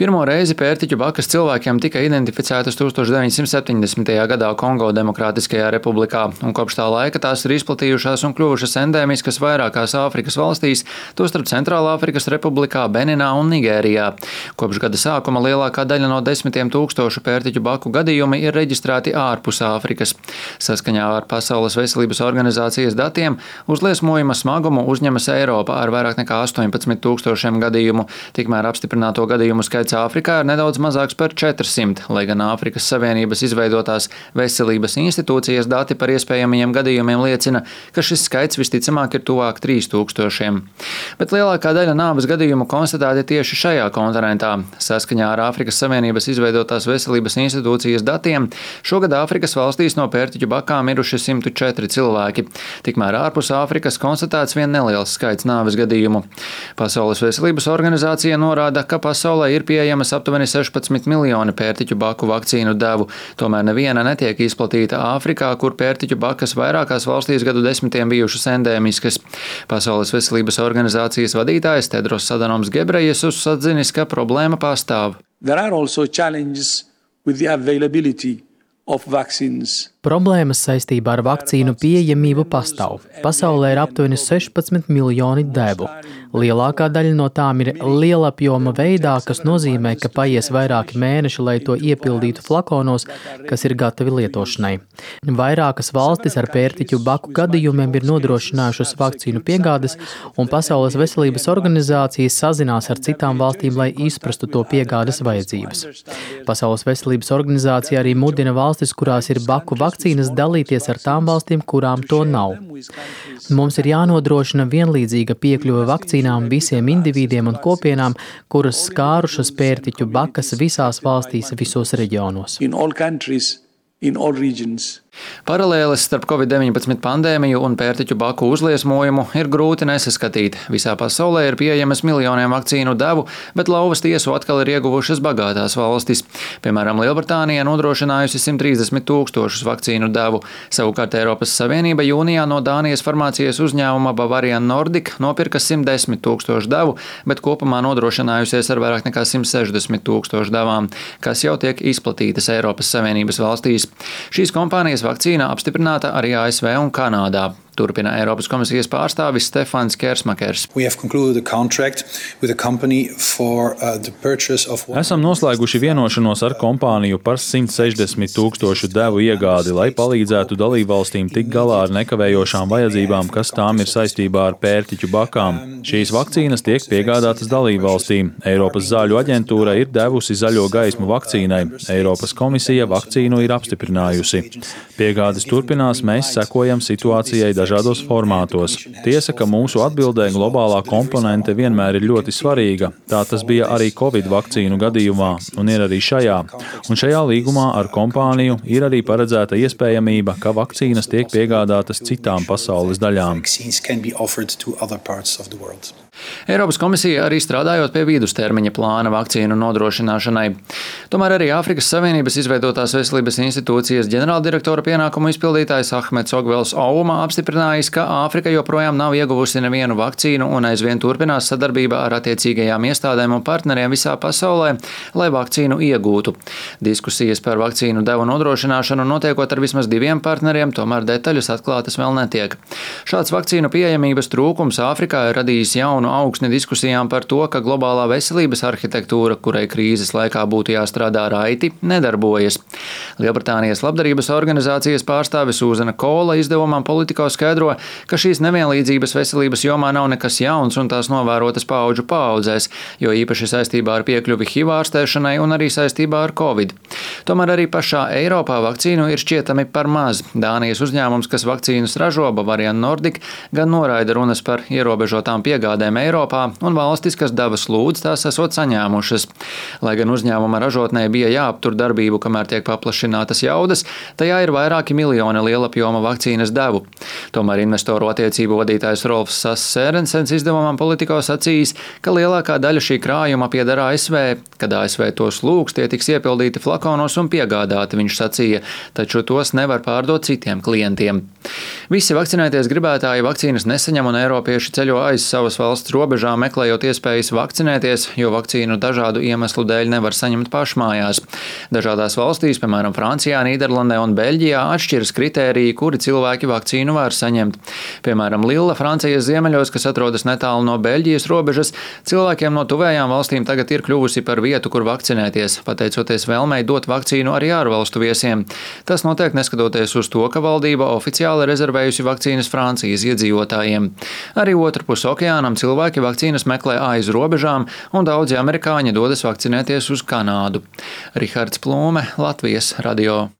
Pirmo reizi pērtiķu bakas cilvēkiem tika identificētas 1970. gadā Kongo Demokrātiskajā republikā, un kopš tā laika tās ir izplatījušās un kļuvušas endēmiskas vairākās Āfrikas valstīs, tostarp Centrālāfrikas Republikā, Beninā un Nigērijā. Kopš gada sākuma lielākā daļa no 10 000 pērtiķu baku gadījumi ir reģistrēti ārpus Āfrikas. Saskaņā ar Pasaules veselības organizācijas datiem uzliesmojuma smagumu uzņemas Eiropa ar vairāk nekā 18 000 gadījumu, tikmēr apstiprināto gadījumu skaits Āfrikā ir nedaudz mazāks par 400, lai gan Āfrikas Savienības izveidotās veselības institūcijas dati par iespējamajiem gadījumiem liecina, ka šis skaits visticamāk ir tuvāk 3000. Bet lielākā daļa nāves gadījumu konstatēti tieši šajā kontinentā. Saskaņā ar Āfrikas Savienības izveidotās veselības institūcijas datiem šogad Āfrikas valstīs no pērtiķu bakām miruši 104 cilvēki. Tikmēr ārpus Āfrikas konstatēts vien neliels skaits nāves gadījumu. Pasaules veselības organizācija norāda, ka pasaulē ir pieejamas aptuveni 16 miljoni pērtiķu baku vakcīnu devu, tomēr neviena netiek izplatīta Āfrikā, kur pērtiķu bakas vairākās valstīs gadu desmitiem bijušas endēmiskas. Pasaules veselības organizācijas vadītājs Tedros Adhanoms Ghebreyesus atzinis, ka problēma pastāv. Problēmas saistībā ar vakcīnu pieejamību pastāv. Pasaulē ir aptuveni 16 miljoni devu. Lielākā daļa no tām ir lielapjoma veidā, kas nozīmē, ka paies vairāki mēneši, lai to iepildītu flakonos, kas ir gatavi lietošanai. Vairākas valstis ar pērtiķu baku gadījumiem ir nodrošinājušas vakcīnu piegādes, un Pasaules veselības organizācijas sazinās ar citām valstīm, lai izprastu to piegādes vajadzības. Pasaules veselības organizācija arī mudina valstis, kurās ir baku vakcīnas, dalīties ar tām valstīm, kurām to nav. Mums ir jānodrošina vienlīdzīga piekļuve vakcīnām visiem individiem un kopienām, kuras skārušas pērtiķu bakas visās valstīs, visos reģionos. Paralēles starp Covid-19 pandēmiju un pērtiķu baku uzliesmojumu ir grūti nesaskatīt. Visā pasaulē ir pieejamas miljoniem vakcīnu devu, bet lauvas tiesu atkal ir ieguvušas bagātās valstis. Piemēram, Lielbritānija nodrošinājusi 130 000 vakcīnu devu. Savukārt Eiropas Savienība jūnijā no Dānijas farmācijas uzņēmuma Bavarian Nordic nopirka 110 000 devu, bet kopumā nodrošinājusies ar vairāk nekā 160 000 devām, kas jau tiek izplatītas Eiropas Savienības valstīs. Šīs kompānijas vakcīna apstiprināta arī ASV un Kanādā. Turpina Eiropas komisijas pārstāvis Stefans Kersmakers. Esam noslēguši vienošanos ar kompāniju par 160 000 devu iegādi, lai palīdzētu dalībvalstīm tikt galā ar nekavējošām vajadzībām, kas tām ir saistībā ar pērtiķu bakām. Šīs vakcīnas tiek piegādātas dalībvalstīm. Eiropas zāļu aģentūra ir devusi zaļo gaismu vakcīnai. Eiropas komisija vakcīnu ir apstiprinājusi. Piegādes turpinās, mēs sekojam situācijai dažādos formātos. Tiesa, ka mūsu atbildē globālā komponente vienmēr ir ļoti svarīga. Tā tas bija arī Covid vakcīnu gadījumā un ir arī šajā. Un šajā līgumā ar kompāniju ir arī paredzēta iespējamība, ka vakcīnas tiek piegādātas citām pasaules daļām. Eiropas komisija arī strādājot pie vidustermiņa plāna vakcīnu nodrošināšanai. Tomēr arī Āfrikas Savienības izveidotās veselības institūcijas ģenerāldirektora pienākumu izpildītājs Ahmeds Ogvels Ouma apstiprinājis, ka Āfrika joprojām nav ieguvusi nevienu vakcīnu un aizvien turpinās sadarbība ar attiecīgajām iestādēm un partneriem visā pasaulē, lai vakcīnu iegūtu. Diskusijas par vakcīnu devu nodrošināšanu notiekot ar vismaz 2 partneriem, tomēr detaļas atklātas vēl netiek. Šāds vakcīnu pieejamības trūkums Āfrikā ir radījis jaunu augsni diskusijām par to, ka globālā veselības arhitektūra, kurai krīzes laikā būtu jāstrādā raiti, nedarbojas. Lielbritānijas labdarības organizācijas pārstāve Sūzana Kola izdevumam Politico skaidro, ka šīs nevienlīdzības veselības jomā nav nekas jauns un tās novērotas paudžu paaudzēs, jo īpaši saistībā ar piekļuvi HIV ārstēšanai un arī saistībā ar Covid. Tomēr arī pašā Eiropā vakcīnu ir šķietami par maz. Dānijas uzņēmums, kas vakcīnas ražo, Bavarian Nordic, gan noraida runas par ierobežotām piegādēm Eiropā, un valstis, kas devas lūdz, tās esot saņēmušas. Lai gan uzņēmuma ražotnē bija jāaptur darbību, kamēr tiek paplašinātas jaudas, tajā ir vairāki miljoni lielapjoma vakcīnas devu. Tomēr investoru attiecību vadītājs Rolfs Sērensens izdevumam Politico sacījis, ka lielākā daļa šī krājuma pieder ASV. Kad ASV tos lūgs, tie tiks iepildīti flakonos un piegādāti, viņš sacīja, taču tos nevar pārdot citiem klientiem. Visi vakcinēties gribētāji vakcīnas nesaņem un eiropieši ceļo aiz savas valsts valsts robežām meklējot iespējas vakcinēties, jo vakcīnu dažādu iemeslu dēļ nevar saņemt pašmājās. Dažādās valstīs, piemēram, Francijā, Nīderlandē un Beļģijā, atšķiras kritēriji, kuri cilvēki vakcīnu var saņemt. Piemēram, Lilla, Francijas ziemeļos, kas atrodas netālu no Beļģijas robežas, cilvēkiem no tuvējām valstīm tagad ir kļuvusi par vietu, kur vakcinēties, pateicoties vēlmei dot vakcīnu arī ārvalstu viesiem. Tas notiek neskatoties uz to, ka valdība oficiāli rezervējusi vakcīnas Francijas iedzīvotājiem. Arī otrpus okeānam cilvēki vakcīnas meklē aiz robežām, un daudzi amerikāņi dodas vakcinēties uz Kanādu. Rihards Plūme, Latvijas radio.